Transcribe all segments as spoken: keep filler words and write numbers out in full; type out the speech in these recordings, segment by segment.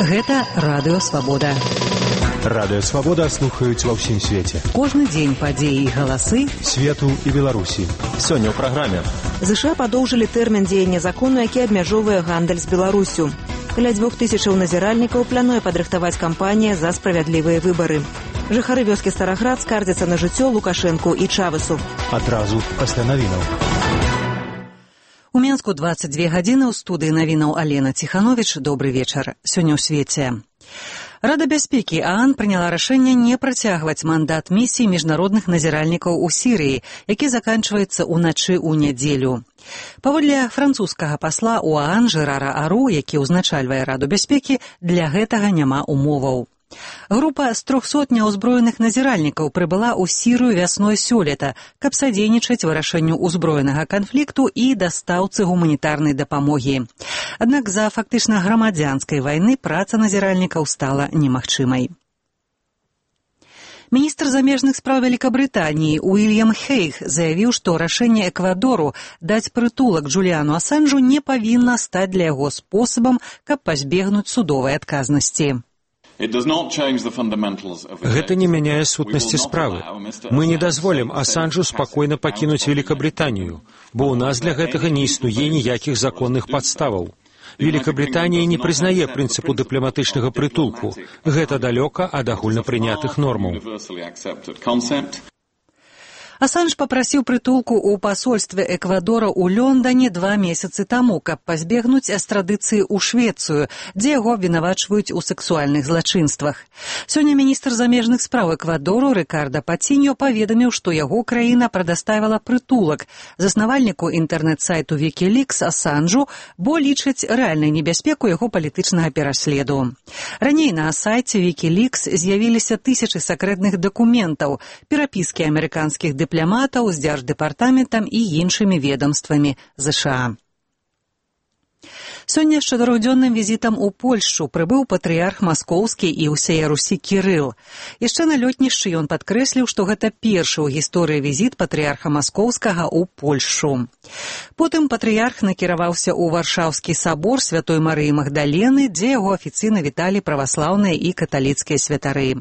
Гэта Радыё Свабода. Радыё Свабода слухаюць ва ўсім свеце. Кожны дзень падзеі і галасы свету і Беларусі. Сёння ў праграме. ЗША падоўжылі тэрмін дзеяння закону, які абмяжоўвае гандаль з Беларусю. Каля дзвюх тысячаў назіральнікаў плануе падрыхтаваць кампанія за справядлівыя выбары. Жыхары вёскі Стараград скардзяцца на жыццё Лукашэнку і Чавесу. Адразу пасля навінаў. У Менску дваццаць дзве гадзіны, ў студыі навінаў Алена Ціхановіч. Добры вечар. Сёння ў свеце. Рада бяспекі ААН прыняла рашэнне не працягваць мандат місіі міжнародных назіральнікаў у Сірыі, які заканчваецца ўначы ў нядзелю. Паводле французскага пасла ў ААН Жерара Ару, які ўзначальвае Раду бяспекі, для гэтага няма умоваў. Група з трохсот няўзброеных назіральнікаў прыбыла ў Сірыю вясной сёлета, каб садзейнічаць вырашэнню ўзброенага канфлікту і дастаўцы гуманітарнай дапамогі. Аднак з-за фактычна грамадзянскай вайны праца назіральнікаў стала немагчымай. Міністр замежных спраў Вялікабрытаніі Уільям Хейг заявіў, што рашэнне Эквадору даць прытулак Джуліану Асанжу не павінна стаць для яго спосабам, каб пазбегнуць судовай адказнасці. Гэта не мяняе сутнасці справы. Мы не дазволім Асанжу спакойна пакінуць Великабрытанію, бо ў нас для гэтага не існуе ніякіх законных падставаў. Великабрытанія не прызнае прынцыпу дыпламатычнага прытулку. Гэта далёка ад агульнапрынятых нормаў. Асанж папрасіў прытулку ў пасольстве Эквадора ў Лондане два месяцы таму, каб пазбегнуць эстрадыцыі ў Швецыю, дзе яго абвінавачваюць у сексуальных злачынствах. Сёння міністр замежных спраў Эквадору Рикардо Патиньо паведаміў, што яго краіна прадаставіла прытулак заснавальніку інтэрнэт-сайту Wikileaks Асанжу, бо лічыць рэальнай небяспеку яго палітычнага пераследу. Раней на сайце Wikileaks з'явіліся тысячы сакрэтных дакументаў, перапіскі амерыканскіх дыпламатаў дыпламатаў з дзярждэпартаментам і іншымі ведамствамі ЗША. Сёння з чатырохдзённым візітам у Польшчу прыбыў патрыярх маскоўскі і ўсяе Русі Кірыл. Яшчэ на лётнішчы ён падкрэсліў, што гэта першы ў гісторыі візіт патрыярха маскоўскага ў Польшчу. Потым патрыярх накіраваўся ў Варшаўскі сабор Святой Марыі Магдалены, дзе яго афіцыйна віталі праваслаўныя і каталіцкія святары.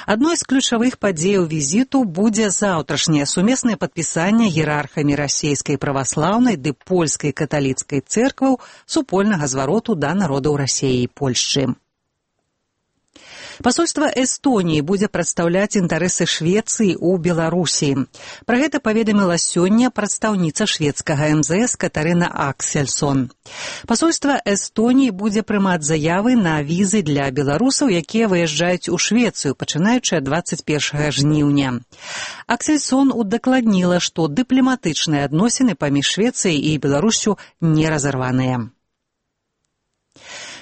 Адной з ключавых падзеяў візіту будзе заўтрашняе сумеснае падпісанне іерархамі расейскай праваслаўнай ды польскай каталіцкай цэркваў супольнага звароту да народаў Расіі і Польшчы. Пасольства Эстоніі будзе прадстаўляць інтарэсы Швецыі ў Беларусі. Пра гэта паведаміла сёння прадстаўніца шведскага эм зэ эс Катарына Аксельсон. Пасольства Эстоніі будзе прымаць заявы на візы для беларусаў, якія выязджаюць у Швецыю, пачынаючы ад дваццаць першага жніўня. Аксельсон удакладніла, што дыпламатычныя адносіны паміж Швецыяй і Беларусю не разарваныя.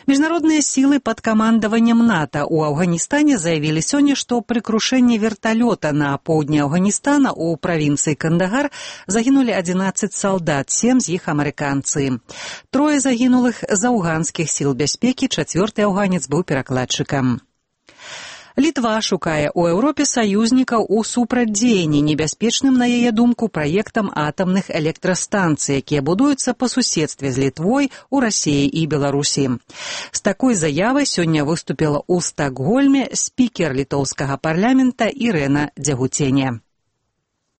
Міжнародныя сілы пад камандаваннем НАТО ў Афганістане заявілі сёння, што пры крушэнні верталёта на поўдні Афганістана ў правінцыі Кандагар загінулі адзінаццаць салдат, сем з іх амерыканцы. Трое загінулых з афганскіх сіл бяспекі, чацвёрты афганец быў перакладчыкам. Літва шукае ў Еўропе саюзнікаў у супрацьдзеянні небяспечным, на яе думку, праектам атамных электрастанцый, якія будуюцца па суседстве з Літвой у Расіі і Беларусі. З такой заявай сёння выступіла ў Стакгольме спікер літоўскага парламента Ірэна Дзягуцене.